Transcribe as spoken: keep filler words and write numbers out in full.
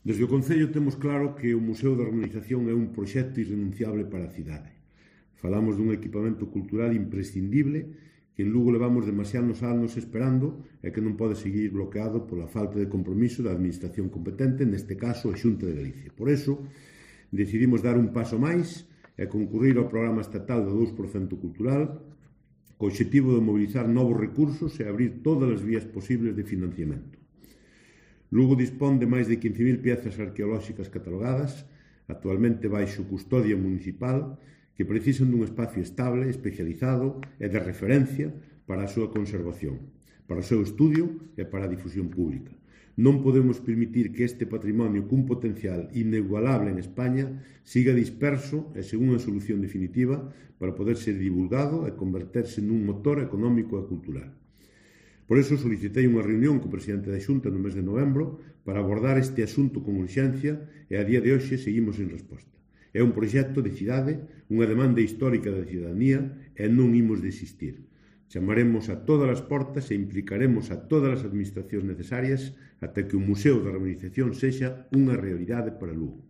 Desde o Concello temos claro que o Museo da Romanización é un proxecto irrenunciable para a cidade. Falamos dun equipamento cultural imprescindible que en Lugo levamos demasiados anos esperando e que non pode seguir bloqueado pola falta de compromiso da Administración competente, neste caso a Xunta de Galicia. Por iso, decidimos dar un paso máis e concurrir ao programa estatal do dous por cento cultural co obxectivo de mobilizar novos recursos e abrir todas as vías posibles de financiamento. Lugo dispón de máis de quince mil piezas arqueolóxicas catalogadas, actualmente baixo custodia municipal, que precisan dun espacio estable, especializado e de referencia para a súa conservación, para o seu estudio e para a difusión pública. Non podemos permitir que este patrimonio cun potencial inigualable en España siga disperso e sen unha solución definitiva para poder ser divulgado e converterse nun motor económico e cultural. Por iso solicitei unha reunión co presidente da Xunta no mes de novembro para abordar este asunto con urxencia e a día de hoxe seguimos sen resposta. É un proxecto de cidade, unha demanda histórica da cidadanía e non imos desistir. Chamaremos a todas as portas e implicaremos a todas as administracións necesarias ata que o Museo da Romanización sexa unha realidade para Lugo.